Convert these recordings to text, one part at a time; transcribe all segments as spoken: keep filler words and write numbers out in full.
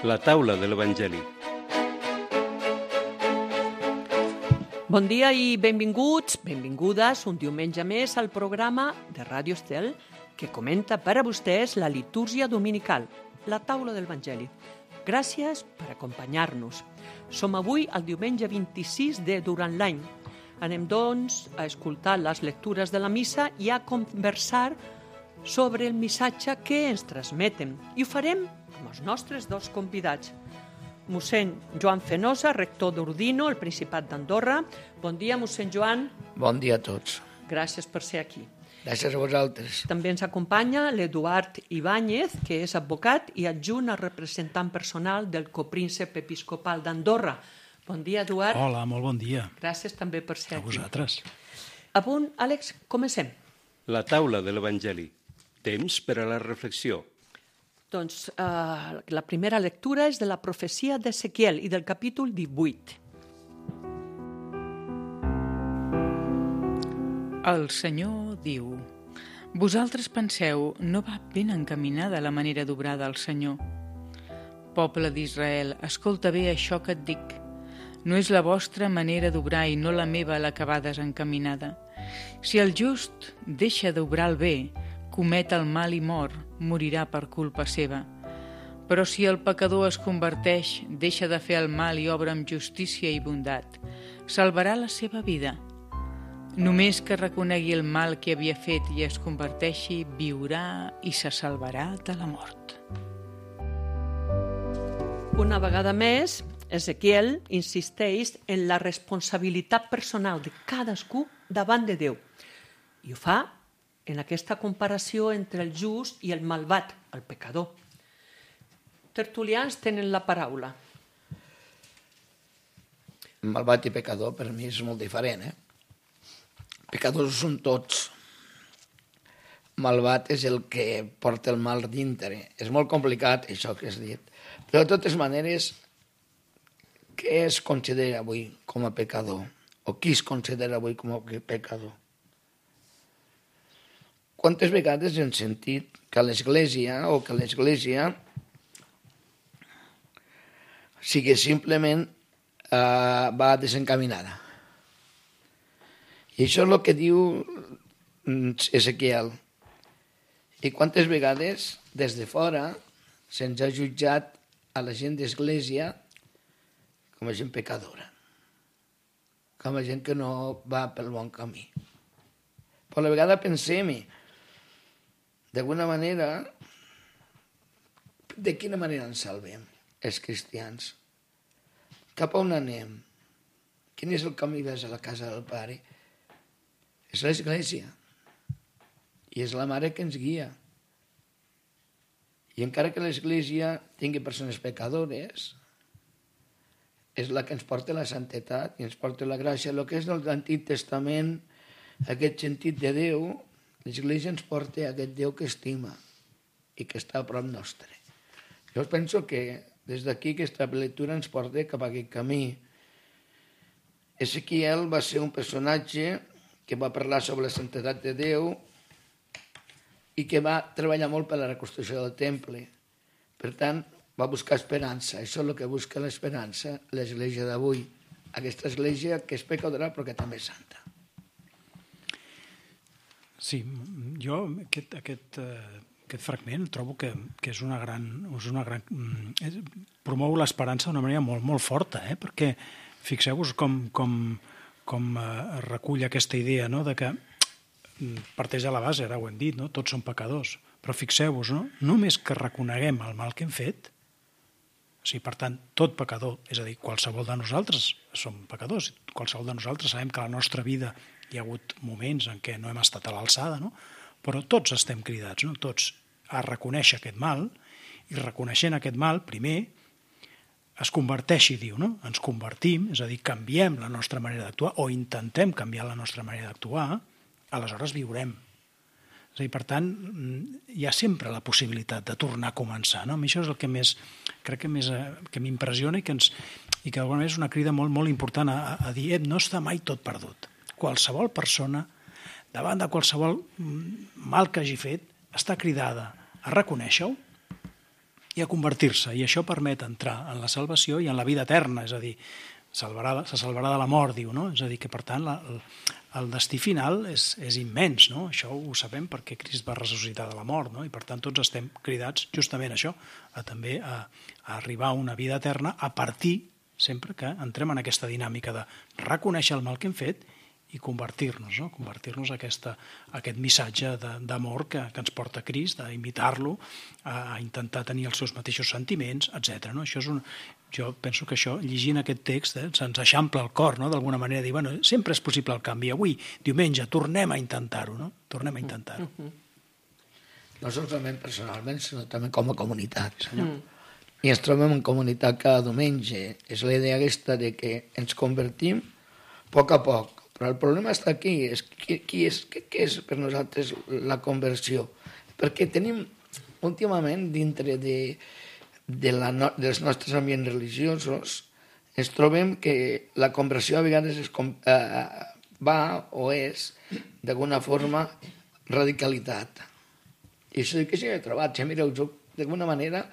La taula de l'Evangeli. Bon dia i benvinguts, benvingudes un diumenge més al programa de Ràdio Estel que comenta per a vostès la litúrgia dominical, la taula de l'Evangeli. Gràcies per acompanyar-nos. Som avui el diumenge vint-i-sis de durant l'any. Anem, doncs, a escoltar les lectures de la missa i a conversar sobre el missatge que ens transmeten. I ho farem amb els nostres dos convidats. Mossèn Joan Fenosa, rector d'Ordino, al Principat d'Andorra. Bon dia, mossèn Joan. Bon dia a tots. Gràcies per ser aquí. Gràcies a vosaltres. També ens acompanya l'Eduard Ibáñez, que és advocat i adjunt al representant personal del copríncep episcopal d'Andorra. Bon dia, Eduard. Hola, molt bon dia. Gràcies també per ser A aquí. vosaltres. A punt, Àlex, comencem. La taula de l'Evangeli. Temps per a la reflexió. Doncs eh, la primera lectura és de la profecia d'Ezequiel i del capítol divuit. El Senyor diu: vosaltres penseu, no va ben encaminada la manera d'obrar del Senyor. Poble d'Israel, escolta bé això que et dic. No és la vostra manera d'obrar i no la meva la que va desencaminada. Si el just deixa d'obrar el bé, comet el mal i mor, morirà per culpa seva. Però si el pecador es converteix, deixa de fer el mal i obra amb justícia i bondat, salvarà la seva vida. Només que reconegui el mal que havia fet i es converteixi, viurà i se salvarà de la mort. Una vegada més, Ezequiel insisteix en la responsabilitat personal de cadascú davant de Déu. I ho fa en aquesta comparació entre el just i el malvat, el pecador. Tertulians tenen la paraula. Malvat i pecador per mi és molt diferent, eh? Pecadors són tots. Malvat és el que porta el mal dintre. És molt complicat, això que has dit. Però de totes maneres, què es considera avui com a pecador? O qui es considera avui com a pecador? Quantes vegades hem sentit que l'Església o que l'Església sigui simplement eh, va desencaminada. I això és el que diu Ezequiel. I quantes vegades, des de fora, se'ns ha jutjat a la gent d'Església com a gent pecadora, com a gent que no va pel bon camí. Però a la vegada pensem-hi, d'alguna manera, de quina manera ens salvem, els cristians? Cap a on anem? Quin és el camí vers a la casa del Pare? És l'Església. I és la Mare que ens guia. I encara que l'Església tingui persones pecadores, és la que ens porta la santetat i ens porta la gràcia. El que és l'Antic Testament, aquest sentit de Déu, l'Església ens porta aquest Déu que estima i que està a prop nostre. Jo penso que des d'aquí aquesta lectura ens porta cap a aquest camí. Ezequiel va ser un personatge que va parlar sobre la santedat de Déu i que va treballar molt per la reconstrucció del temple. Per tant, va buscar esperança. Això és el que busca l'esperança, l'Església d'avui. Aquesta Església que és pecadora però que també és santa. Sí, jo aquest, aquest, aquest fragment trobo que, que és una gran... És una gran és, promou l'esperança d'una manera molt, molt forta, eh? Perquè fixeu-vos com, com, com eh, recull aquesta idea, no? De que parteix de la base, ara ho hem dit, no? Tots som pecadors, però fixeu-vos, no? Només que reconeguem el mal que hem fet, o sigui, per tant, tot pecador, és a dir, qualsevol de nosaltres som pecadors, qualsevol de nosaltres sabem que a la nostra vida hi ha hagut moments en què no hem estat a l'alçada, no? Però tots estem cridats, no? Tots a reconèixer aquest mal, i reconeixent aquest mal, primer, es converteixi, diu, no? Ens convertim, és a dir, canviem la nostra manera d'actuar, o intentem canviar la nostra manera d'actuar, aleshores viurem. És a dir, per tant, hi ha sempre la possibilitat de tornar a començar, no? A mi això és el que més, crec que més, que m'impressiona i que, ens, i que d'alguna manera és una crida molt, molt important a, a dir, eh, no està mai tot perdut. Qualsevol persona, davant de qualsevol mal que hagi fet, està cridada a reconèixer-ho i a convertir-se, i això permet entrar en la salvació i en la vida eterna, és a dir, salvarà, se salvarà de la mort, diu, no? És a dir, que per tant la, el, el destí final és, és immens, no? Això ho sabem perquè Crist va ressuscitar de la mort, no? I per tant tots estem cridats justament a això, a també a, a arribar a una vida eterna a partir, sempre que entrem en aquesta dinàmica de reconèixer el mal que hem fet i convertir-nos, no? Convertir-nos a, aquesta, a aquest missatge d'amor que, que ens porta Crist, a imitar-lo, a intentar tenir els seus mateixos sentiments, etcètera. No? Això és un, jo penso que això, llegint aquest text, eh, se'ns eixampla el cor, no? D'alguna manera, dir, bueno, sempre és possible el canvi. Avui, diumenge, tornem a intentar-ho, no? Tornem a intentar-ho. No solament personalment, sinó també com a comunitat. Mm. I ens trobem en comunitat cada diumenge. És la idea aquesta de que ens convertim a poc a poc. Però el problema està aquí, és qui, qui és, què, què és per nosaltres la conversió? Perquè tenim últimament dintre de, de la no, dels nostres ambients religiosos ens trobem que la conversió a vegades es, eh, va o és d'alguna forma radicalitat. I això que sí que he trobat, ja mireu, d'alguna manera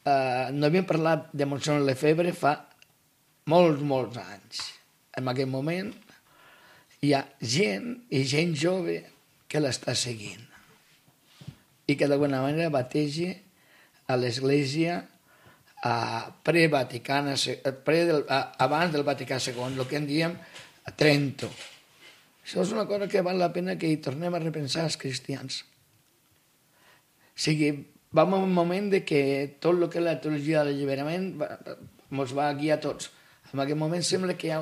eh, no havíem parlat de Montserrat Lefebvre fa molts, molts anys. En aquell moment hi ha gent i gent jove que l'està seguint i que d'alguna manera bateja a l'Església pre-Vaticana, pre del, abans del Vaticà segon, el que en diem Trento. Això és una cosa que val la pena que hi tornem a repensar els cristians. O sigui, vam a un moment de que tot el que és la teologia de l'alliberament ens va guiar a tots. En aquest moment sembla que hi ha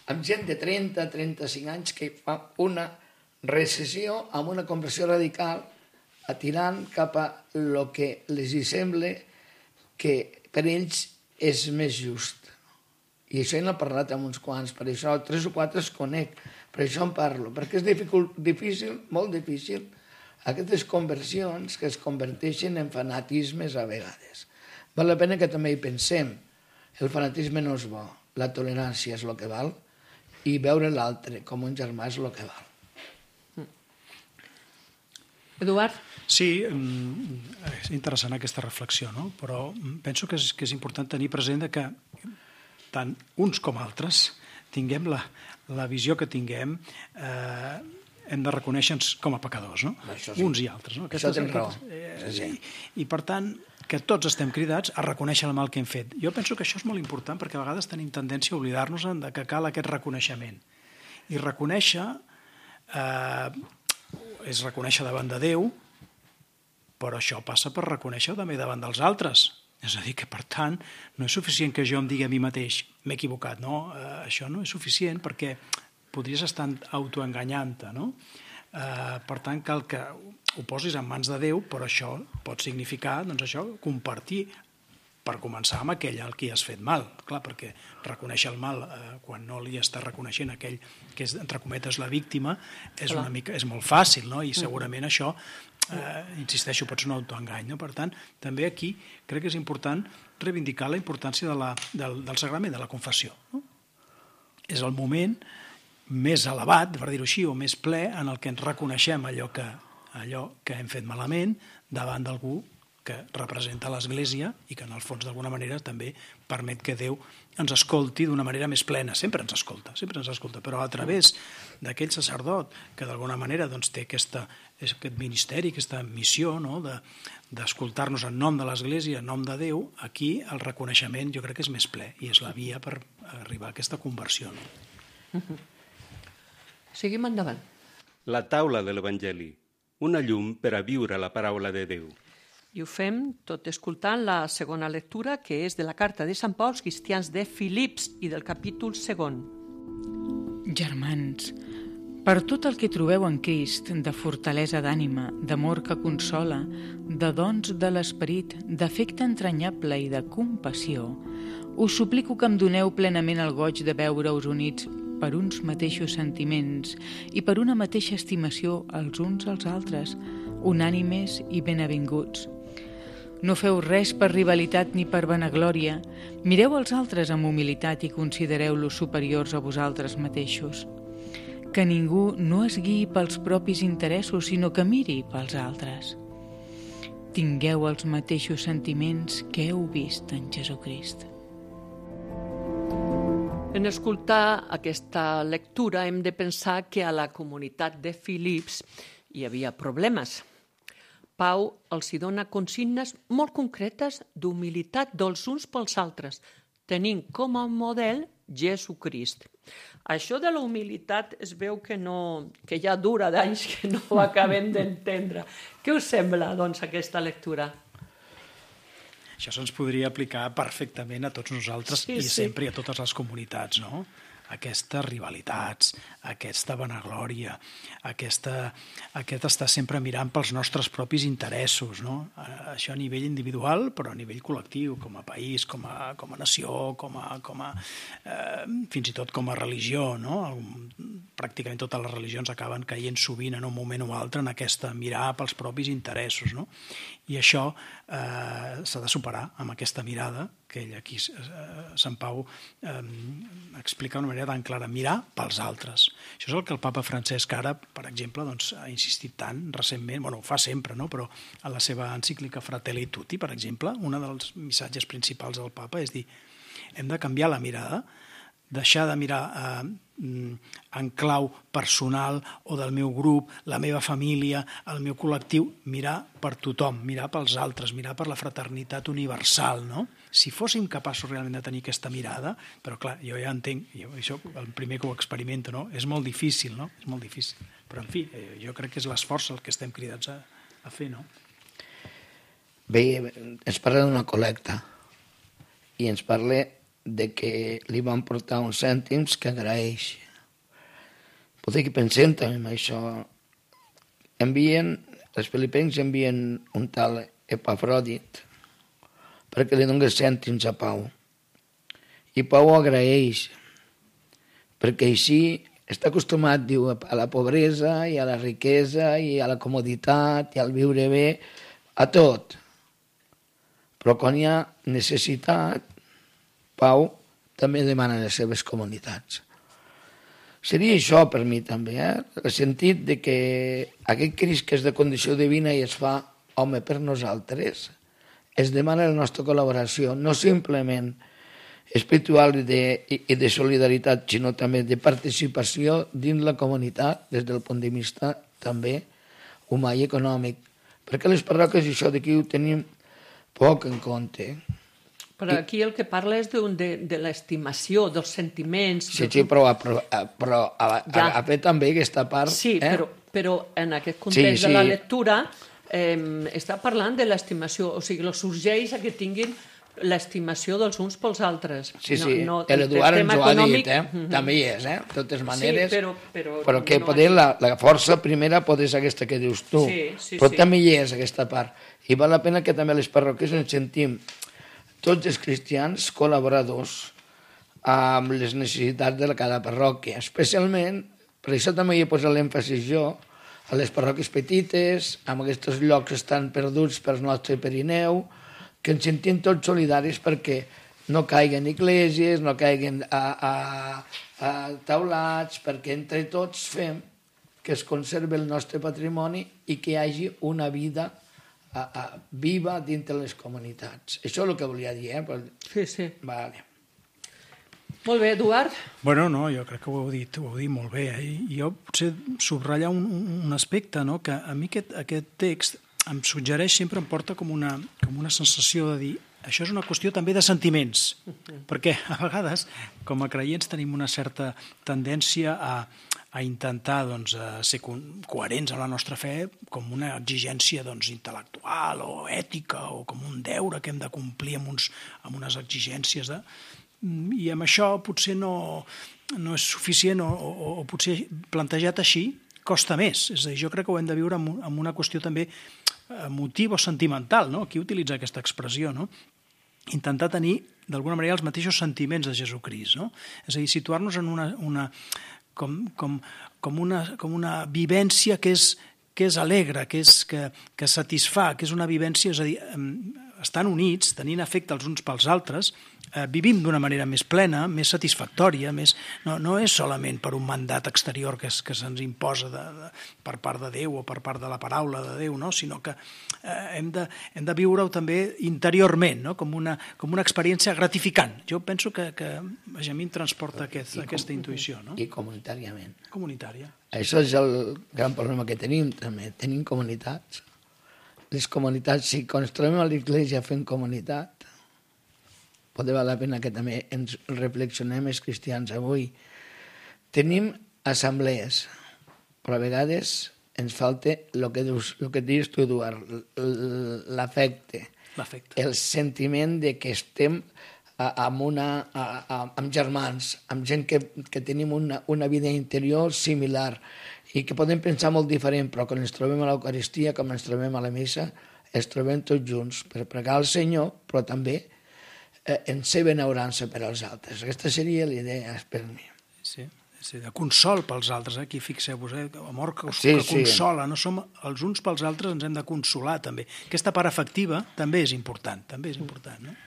amb gent de trenta a trenta-cinc anys que fa una recessió amb una conversió radical atirant cap a el que els hi sembla que per ells és més just. I això n'he parlat amb uns quants, per això tres o quatre es conec, per això en parlo, perquè és dificult, difícil, molt difícil, aquestes conversions que es converteixen en fanatismes a vegades. Val la pena que també hi pensem. El fanatisme no és bo, la tolerància és el que val, i veure l'altre com un germà és el que val. Eduard? Sí, és interessant aquesta reflexió, no? Però penso que és, que és important tenir present que tant uns com altres tinguem la, la visió que tinguem, eh, hem de reconèixer-nos com a pecadors, no? Sí. Uns i altres. No? Això tens raó. Eh, sí, sí. I, I per tant, que tots estem cridats a reconèixer el mal que hem fet. Jo penso que això és molt important perquè a vegades tenim tendència a oblidar-nos de que cal aquest reconeixement. I reconèixer eh, és reconèixer davant de Déu, però això passa per reconèixer també davant dels altres. És a dir, que per tant no és suficient que jo em digui a mi mateix m'he equivocat, no? Eh, això no és suficient perquè podries estar autoenganyant-te, no? Eh, per tant, cal que ho posis en mans de Déu, però això pot significar, doncs això, compartir, per començar amb aquell al qui has fet mal. Clar, perquè reconèixer el mal eh, quan no li està reconeixent aquell que és, entre cometes, la víctima, és, una mica, és molt fàcil, no? I segurament això, eh, insisteixo, pot ser un autoengany, no? Per tant, també aquí crec que és important reivindicar la importància de la, del, del sagrament, de la confessió, no? És el moment més elevat, per dir-ho així, o més ple, en el que ens reconeixem allò que, allò que hem fet malament davant d'algú que representa l'Església i que en el fons d'alguna manera també permet que Déu ens escolti d'una manera més plena. Sempre ens escolta, sempre ens escolta, però a través d'aquell sacerdot que d'alguna manera doncs, té aquesta, aquest ministeri, aquesta missió, no? de, d'escoltar-nos en nom de l'Església, en nom de Déu, aquí el reconeixement jo crec que és més ple i és la via per arribar a aquesta conversió. No? Uh-huh. Seguim endavant. La taula de l'Evangeli, una llum per a viure la paraula de Déu. I ho fem tot escoltant la segona lectura, que és de la carta de Sant Pau als cristians de Filips i del capítol segon. Germans, per tot el que trobeu en Crist, de fortalesa d'ànima, d'amor que consola, de dons de l'esperit, d'afecte entranyable i de compassió, us suplico que em doneu plenament el goig de veure-us units per uns mateixos sentiments i per una mateixa estimació els uns als altres, unànimes i benavinguts. No feu res per rivalitat ni per vanaglòria, mireu els altres amb humilitat i considereu-los superiors a vosaltres mateixos. Que ningú no es guiï pels propis interessos, sinó que miri pels altres. tingueu els mateixos sentiments que heu vist en Jesucrist. En escoltar aquesta lectura hem de pensar que a la comunitat de Filips hi havia problemes. Pau els hi dona consignes molt concretes d'humilitat dels uns pels altres, tenint com a model Jesucrist. Això de la humilitat es veu que, no, que ja dura d'anys que no ho acabem d'entendre. Què us sembla, doncs, aquesta lectura? Això se'ns podria aplicar perfectament a tots nosaltres sí, i sí. sempre i a totes les comunitats, no? Aquestes rivalitats, aquesta vanaglòria, aquesta, aquest estar sempre mirant pels nostres propis interessos, no? Això a nivell individual, però a nivell col·lectiu, com a país, com a, com a nació, com a, com a, eh, fins i tot com a religió, no? Pràcticament totes les religions acaben caient sovint en un moment o altre en aquesta mirar pels propis interessos, no? I això eh, s'ha de superar amb aquesta mirada que ell aquí, eh, Sant Pau, eh, explica d'una manera tan clara, mirar pels altres. Això és el que el papa Francesc ara, per exemple, doncs, ha insistit tant recentment, bueno, ho fa sempre, no? Però a la seva encíclica Fratelli Tutti, per exemple, un dels missatges principals del papa és dir, hem de canviar la mirada, deixar de mirar eh, en clau personal o del meu grup, la meva família, el meu col·lectiu, mirar per tothom, mirar pels altres, mirar per la fraternitat universal, no? Si fóssim capaços realment de tenir aquesta mirada, però clar, jo ja entenc, jo, això el primer que ho experimento, no? És molt difícil, no? És molt difícil. Però, en fi, jo crec que és l'esforç el que estem cridats a, a fer, no? Bé, ens parla d'una col·lecta i ens parla de que li van portar uns cèntims que agraeix. Potser que pensem també en això. Envien, els filipencs envien un tal Epafrodit perquè li donés cèntims a Pau. I Pau agraeix, perquè així està acostumat, diu, a la pobresa i a la riquesa i a la comoditat i al viure bé, a tot. Però quan hi ha necessitat, Pau també demana les seves comunitats. Seria això per mi també, eh? El sentit de que aquest Crist que és de condició divina i es fa home per nosaltres, es demana la nostra col·laboració, no simplement espiritual i de, i de solidaritat, sinó també de participació dins la comunitat des del punt de vista també humà i econòmic. Perquè les parròquies això d'aquí ho tenim poc en compte. Però aquí el que parla és de, de, de l'estimació, dels sentiments... Sí, sí, però, però, però ha, ja. ha fet també aquesta part... Sí, eh? però, però en aquest context sí, sí. de la lectura eh, està parlant de l'estimació, o sigui, els sorgeix a que tinguin l'estimació dels uns pels altres. Sí, sí, no, no, l'Eduard ens ho ha econòmic... dit, eh? Mm-hmm. També hi és, eh? De totes maneres... Sí, però... Però, però que no poder, la, la força primera pot ser aquesta que dius tu, sí, sí, però sí. també hi és aquesta part. I val la pena que també les parròquies ens sentim tots els cristians col·laboradors amb les necessitats de cada parròquia, especialment, per això també hi he posat l'èmfasis jo, a les parròquies petites, amb aquests llocs que estan perduts pel nostre Pirineu, que ens sentim tots solidaris perquè no caiguen esglésies, no caiguen a, a, a taulats, perquè entre tots fem que es conservi el nostre patrimoni i que hi hagi una vida A, a, viva dintre les comunitats. Això és el que volia dir, eh? Però... Sí, sí. Vale. Molt bé, Eduard. Bueno, no, jo crec que ho heu dit, ho heu dit molt bé. Eh? I jo potser subratllar un, un aspecte, no? Que a mi aquest, aquest text em suggereix, sempre em porta com una, com una sensació de dir això és una qüestió també de sentiments, uh-huh. perquè a vegades, com a creients, tenim una certa tendència a, a intentar doncs, a ser coherents amb la nostra fe com una exigència doncs, intel·lectual o ètica o com un deure que hem de complir amb, uns, amb unes exigències. De... I amb això potser no, no és suficient o, o, o potser plantejat així costa més. És a dir, jo crec que ho hem de viure amb, amb una qüestió també emotiva o sentimental, no? Aquí utilitza aquesta expressió, no? Intentar tenir, d'alguna manera, els mateixos sentiments de Jesucrist, no? És a dir, situar-nos en una, una, com, com, com, una, com una vivència que és, que és alegre, que, és, que, que satisfà, que és una vivència, és a dir, estan units, tenint afecte els uns pels altres, eh, vivim d'una manera més plena, més satisfactòria, més... No, no és solament per un mandat exterior que, es, que se'ns imposa de, de, per part de Déu o per part de la paraula de Déu, no? Sinó que eh, hem, de, hem de viure-ho també interiorment, no? com, una, com una experiència gratificant. Jo penso que, que a mi em transporta aquest, aquesta intuïció. No? I comunitàriament. Comunitària. Això és el gran problema que tenim, també. Tenim comunitats. Les comunitats, si quan ens trobem a l'església fent comunitat, pot valer la pena que també ens reflexionem els cristians avui. Tenim assemblees, però a vegades ens falta el que, dius, el que dius tu, Eduard, l'afecte, L'afecte. el sentiment de que estem amb, una, amb germans, amb gent que, que tenim una, una vida interior similar i que podem pensar molt diferent, però quan ens trobem a l'Eucaristia, com ens trobem a la missa, ens trobem tots junts per pregar al Senyor, però també eh, en ser benaurança per als altres. Aquesta seria l'idea per mi. Sí, sí, de consol pels altres, eh? Aquí fixeu-vos, eh? Amor que, sí, que sí. consola, no som els uns pels altres, ens hem de consolar també. Aquesta part afectiva també és important, també és important, no?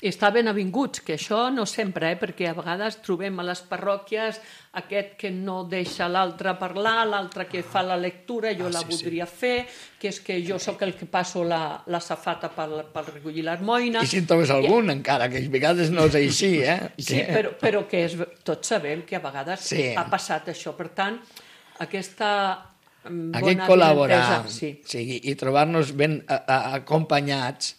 I està ben avinguts, que això no sempre, eh? Perquè a vegades trobem a les parròquies aquest que no deixa l'altre parlar, l'altre que fa la lectura, jo ah, la sí, voldria sí. fer, que és que jo sóc el que passo la, la safata per, per recollir l'harmoina. I si en trobes algun, I... encara, que a vegades no és així, eh? Sí, que... però, però que és, tots sabem que a vegades sí. ha passat això. Per tant, aquesta bona Aquest col·laborar, sí. sí, i trobar-nos ben a, a, acompanyats,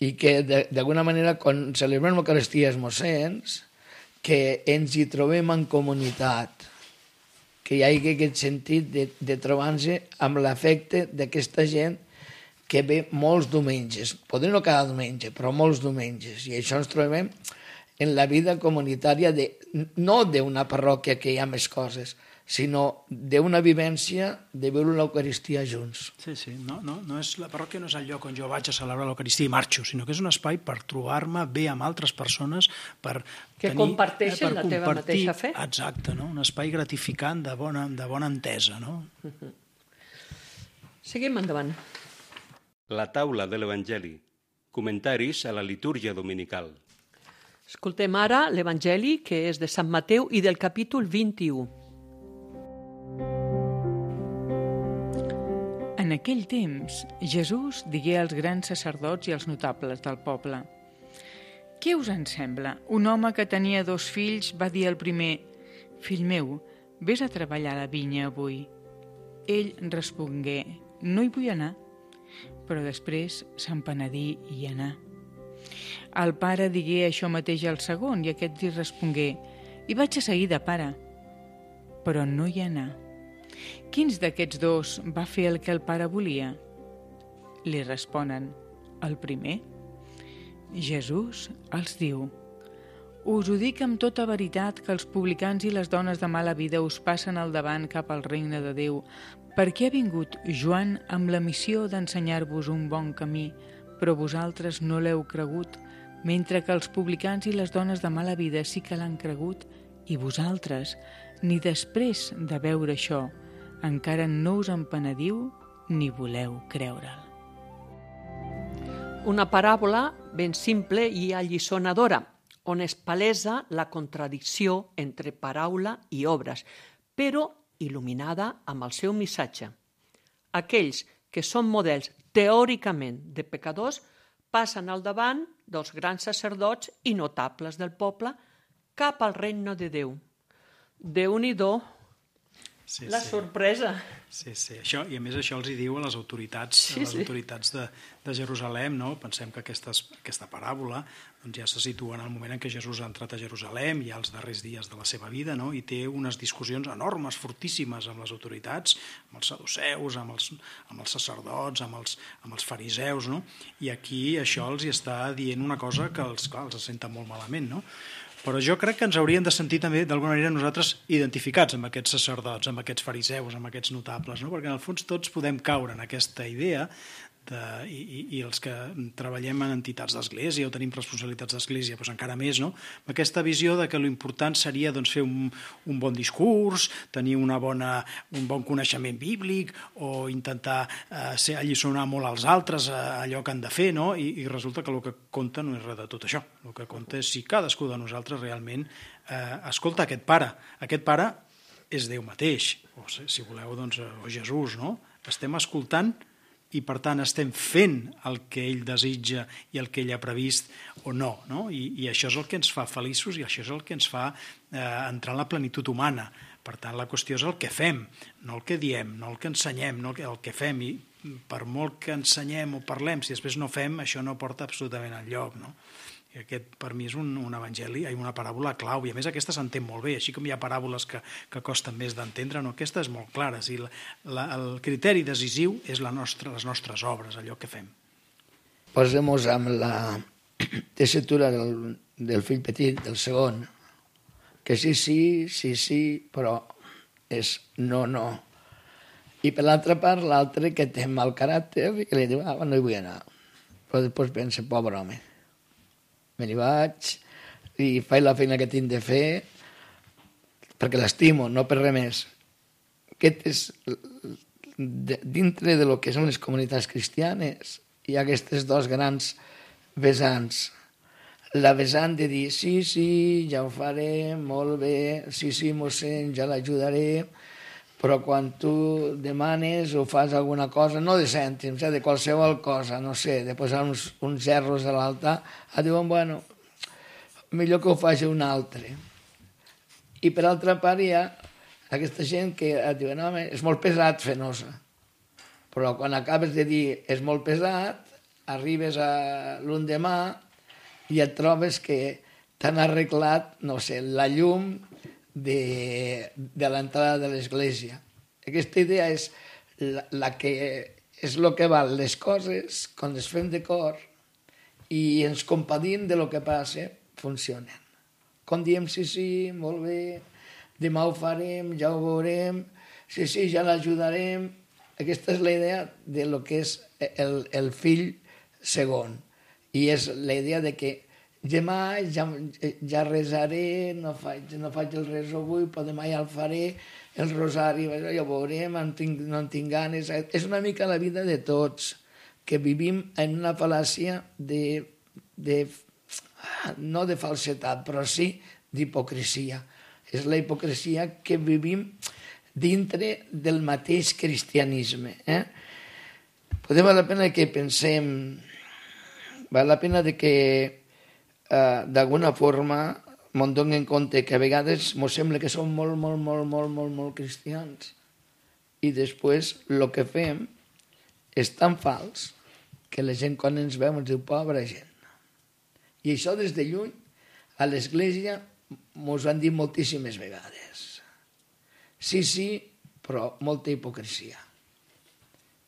i que d'alguna manera quan celebrem l'Eucaristia els mossens, que ens hi trobem en comunitat, que hi hagi aquest sentit de, de trobar-nos amb l'afecte d'aquesta gent que ve molts diumenges, potser no cada diumenge, però molts diumenges, i això ens trobem en la vida comunitària de, no d'una parròquia que hi ha més coses, sinó d'una vivència de veure l'Eucaristia junts. Sí, sí, no, no, no és, la parròquia no és el lloc on jo vaig a celebrar l'Eucaristia i marxo, sinó que és un espai per trobar-me bé amb altres persones, per que tenir, comparteixen per la teva mateixa fe. Exacte, no? Un espai gratificant de bona, de bona entesa. No? Uh-huh. Seguim endavant. La taula de l'Evangeli. Comentaris a la litúrgia dominical. Escoltem ara l'Evangeli, que és de Sant Mateu i del capítol vint-i-u. En aquell temps, Jesús digué als grans sacerdots i als notables del poble: «Què us en sembla? Un home que tenia dos fills va dir al primer: Fill meu, vés a treballar a la vinya avui. Ell respongué: No hi vull anar. Però després se'n penedí i hi anà. El pare digué això mateix al segon i aquest li respongué: Hi vaig a seguida, pare. Però no hi anà. Quins d'aquests dos va fer el que el pare volia? Li responen: el primer. Jesús els diu: Us ho dic amb tota veritat que els publicans i les dones de mala vida us passen al davant cap al regne de Déu, perquè ha vingut Joan amb la missió d'ensenyar-vos un bon camí, però vosaltres no l'heu cregut, mentre que els publicans i les dones de mala vida sí que l'han cregut, i vosaltres, ni després de veure això, encara no us en penediu ni voleu creure'l. Una paràbola ben simple i alliçonadora, on es palesa la contradicció entre paraula i obres, però il·luminada amb el seu missatge. Aquells que són models teòricament de pecadors passen al davant dels grans sacerdots i notables del poble cap al regne de Déu. Déu-n'hi-do, Sí, la sí. sorpresa. Sí, sí. Això, i a més això els hi diu a les autoritats, Sí, a les sí. autoritats de, de Jerusalem, no? Pensem que aquestes, aquesta paràbola doncs ja se situa en el moment en què Jesús ha entrat a Jerusalem, ja als darrers dies de la seva vida, no? I té unes discussions enormes, fortíssimes amb les autoritats, amb els saduceus, amb els, amb els sacerdots, amb els, amb els fariseus, no? I aquí això els hi està dient una cosa que els, clar, els senta molt malament, no? Però jo crec que ens hauríem de sentir també, d'alguna manera, nosaltres identificats amb aquests sacerdots, amb aquests fariseus, amb aquests notables, no? Perquè en el fons tots podem caure en aquesta idea de, i, i els que treballem en entitats d'església o tenim responsabilitats d'església, doncs encara més, no? Aquesta visió de que l'important seria doncs, fer un, un bon discurs, tenir una bona, un bon coneixement bíblic o intentar eh, ser, alliçonar molt als altres eh, allò que han de fer, no? I, i resulta que el que compta no és res de tot això. El que compta és si cadascú de nosaltres realment eh, escolta aquest pare. Aquest pare és Déu mateix, o si voleu, doncs, o Jesús, no? Estem escoltant i per tant estem fent el que ell desitja i el que ell ha previst o no, no? I, i això és el que ens fa feliços i això és el que ens fa eh, entrar en la plenitud humana. Per tant, la qüestió és el que fem, no el que diem, no el que ensenyem, no el que, el que fem. I per molt que ensenyem o parlem, si després no fem, això no porta absolutament enlloc, no? I aquest, per mi, és un, un evangeli, una paràbola clau, i a més aquesta s'entén molt bé, així com hi ha paràboles que, que costen més d'entendre, no? Aquesta és molt clara. Si la, la, el criteri decisiu és la nostra, les nostres obres, allò que fem. Posem-nos amb la tessitura del, del fill petit, del segon, que sí, sí, sí, sí, però és no, no. I per l'altra part, l'altre que té mal caràcter i que li diu, ah, no hi vull anar. Però després pensa, pobre home, me n'hi vaig i faig la feina que tinc de fer perquè l'estimo, no per res més. Aquest és, dintre de lo que són les comunitats cristianes, hi ha aquestes dos grans vessants. La vessant de dir, sí, sí, ja ho faré, molt bé, sí, sí, mossèn, ja l'ajudaré, però quan tu demanes o fas alguna cosa, no de cèntims, eh, de qualsevol cosa, no sé, de posar uns, uns gerros a l'altar, et diuen, bueno, millor que ho faci un altre. I per altra part hi ha aquesta gent que et diuen, no, home, és molt pesat fer nosa. Però quan acabes de dir és molt pesat, arribes a l'endemà i et trobes que t'han arreglat, no sé, la llum de, de l'entrada de l'església. Aquesta idea és la, la que és el que val les coses, quan les fem de cor i ens compadim de lo que passa, funcionen. Quan diem sí, sí, molt bé, demà ho farem, ja ho veurem, sí, sí, ja l'ajudarem. Aquesta és la idea de lo que és el, el fill segon. I és la idea de que demà ja, ja resaré, no faig, no faig el res avui, però demà ja el faré, el rosari, ja ho veurem, en tinc, no en tinc ganes. És una mica la vida de tots, que vivim en una fal·làcia de, de, no de falsetat, però sí d'hipocresia. És la hipocresia que vivim dintre del mateix cristianisme. Eh? Podem val la pena que pensem, val la pena de que Uh, d'alguna forma m'ho dono en compte que a vegades m'ho sembla que som molt, molt, molt, molt, molt, molt cristians i després el que fem és tan fals que la gent quan ens veu ens diu pobra gent. I això des de lluny a l'església mos han dit moltíssimes vegades. Sí, sí, però molta hipocresia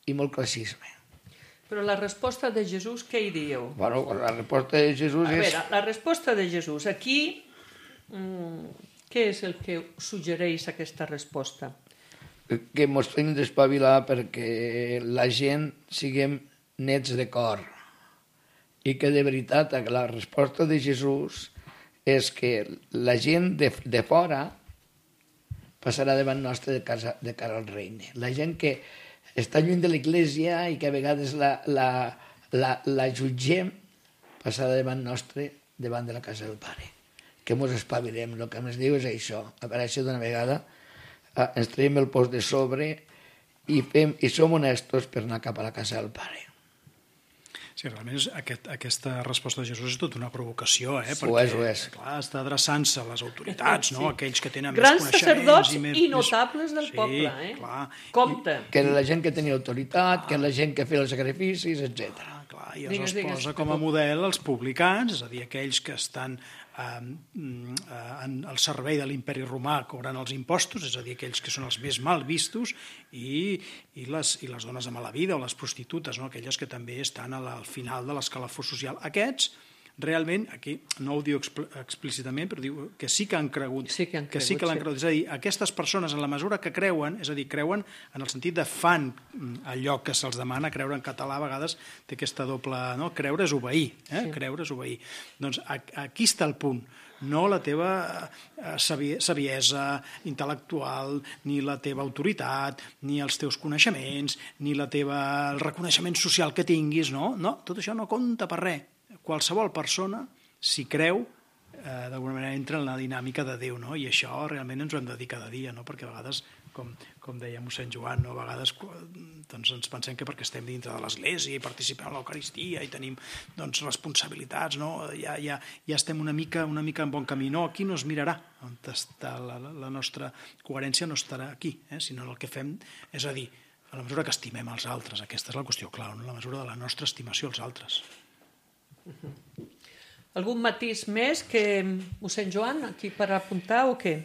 i molt classisme. Però la resposta de Jesús, què hi dieu? Bueno, la resposta de Jesús a és... veure, la resposta de Jesús, aquí, mmm, què és el que suggereix aquesta resposta? Que ens hem d'espavilar perquè la gent siguem nets de cor i que de veritat la resposta de Jesús és que la gent de, de fora passarà davant nostre de, casa, de cara al regne. La gent que està lluny de l'església i que a vegades la, la, la, la jutgem, passarà davant nostre, davant de la casa del Pare. Que mos espavilem, el que ens diu és això. A veure, això d'una vegada eh, ens traiem el post de sobre i, fem, i som honestos per anar cap a la casa del Pare. Sí, realment aquest, aquesta resposta de Jesús és tota una provocació, eh? Ho Perquè, és, ho és. Clar, està adreçant-se a les autoritats, no? Sí. Aquells que tenen Grans més coneixements sacerdots i, més, i notables del sí, poble, eh? Clar. Compte. Que era la gent que tenia autoritat, que era la gent que feia els sacrificis, etcètera. Ah, clar, i Digues, es digues. posa com a model els publicans, és a dir, aquells que estan eh, en el servei de l'imperi romà cobrant els impostos, és a dir, aquells que són els més mal vistos, i, i, les, i les dones de mala vida o les prostitutes, no? Aquelles que també estan al final de l'escalafó social. Aquests realment, aquí no ho diu expl explícitament, però diu que sí que han cregut, sí que, han que cregut, sí que l'han sí. cregut. És a dir, aquestes persones, en la mesura que creuen, és a dir, creuen en el sentit de fan allò que se'ls demana, creure en català a vegades té aquesta doble... No? Creure és obeir, eh? Sí. Creure és obeir. Doncs aquí està el punt. No la teva saviesa intel·lectual, ni la teva autoritat, ni els teus coneixements, ni la teva, el reconeixement social que tinguis, no? No, tot això no compta per res. Qualsevol persona, si creu, eh, d'alguna manera entra en la dinàmica de Déu, no? I això realment ens ho hem de dir cada dia, no? Perquè a vegades, com, com deia mossèn Joan, no? A vegades doncs, ens pensem que perquè estem dintre de l'Església i participem en l'Eucaristia i tenim doncs, responsabilitats, no? Ja, ja, ja estem una mica, una mica en bon camí. No, aquí no es mirarà on està la, la nostra coherència, no estarà aquí, eh? Sinó el que fem és a dir, a la mesura que estimem els altres, aquesta és la qüestió clau, no? La mesura de la nostra estimació als altres. Algun matís més que mossèn Joan, aquí per apuntar o què?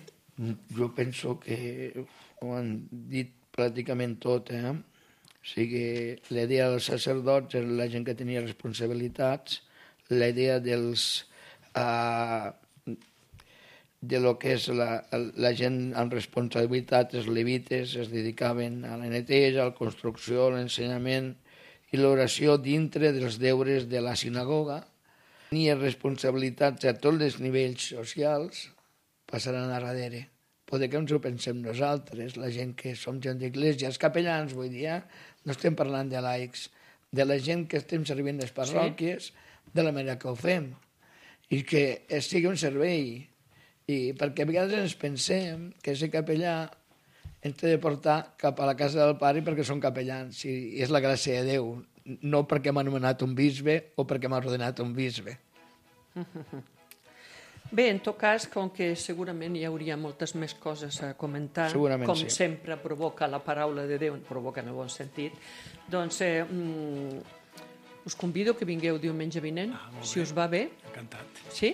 Jo penso que ho han dit pràcticament tot, eh? O sigui, la idea dels sacerdots era la gent que tenia responsabilitats, la idea dels... Uh, de lo que és la, la gent amb responsabilitat, els levites, es dedicaven a la neteja, a la construcció, a l'ensenyament i l'oració dintre dels deures de la sinagoga. Tenia responsabilitats a tots els nivells socials, passaran a darrere. Poder que ens ho pensem nosaltres, la gent que som gent d'església, els capellans, vull dir, eh? No estem parlant de laics, de la gent que estem servint les parròquies, sí. De la manera que ho fem, i que sigui un servei. I perquè a vegades ens pensem que ser capellà ens té de portar cap a la casa del pare perquè són capellans, i és la gràcia de Déu, no perquè m'ha anomenat un bisbe o perquè m'ha ordenat un bisbe. Bé, en tot cas, com que segurament hi hauria moltes més coses a comentar, segurament com sí. sempre provoca la paraula de Déu, provoca en el bon sentit, doncs eh, mm, us convido que vingueu diumenge vinent, ah, si us va bé. Encantat. Sí?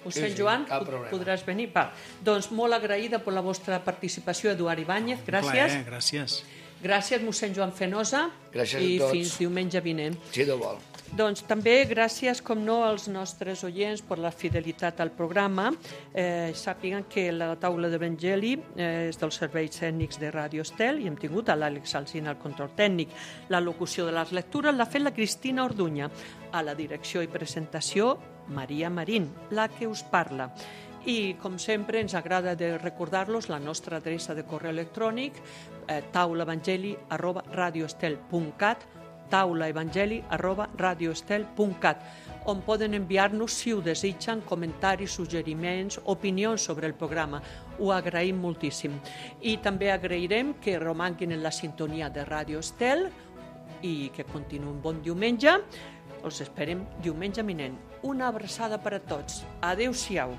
Mossèn sí, sí, Joan, podràs venir? Va. Doncs molt agraïda per la vostra participació, Eduard Ibáñez, gràcies. Plaer, gràcies. Gràcies, mossèn Joan Fenosa. Gràcies i a tots. I fins diumenge vinent. Si Déu vol. Doncs també gràcies, com no, als nostres oients per la fidelitat al programa. Eh, sàpiguen que la taula d'Evangeli eh, és dels serveis tècnics de Ràdio Estel i hem tingut a l'Àlex Alsina al control tècnic. La locució de les lectures l'ha fet la Cristina Orduña. A la direcció i presentació, Maria Marín, la que us parla. I, com sempre, ens agrada de recordar-los la nostra adreça de correu electrònic, eh, taulaevangeli arroba radioestel punt cat, taulaevangeli arroba radioestel punt cat, on poden enviar-nos, si ho desitgen, comentaris, suggeriments, opinions sobre el programa. Ho agraïm moltíssim. I també agrairem que romanguin en la sintonia de Ràdio Estel i que continuïn bon diumenge. Els esperem diumenge vinent. Una abraçada per a tots. Adéu-siau.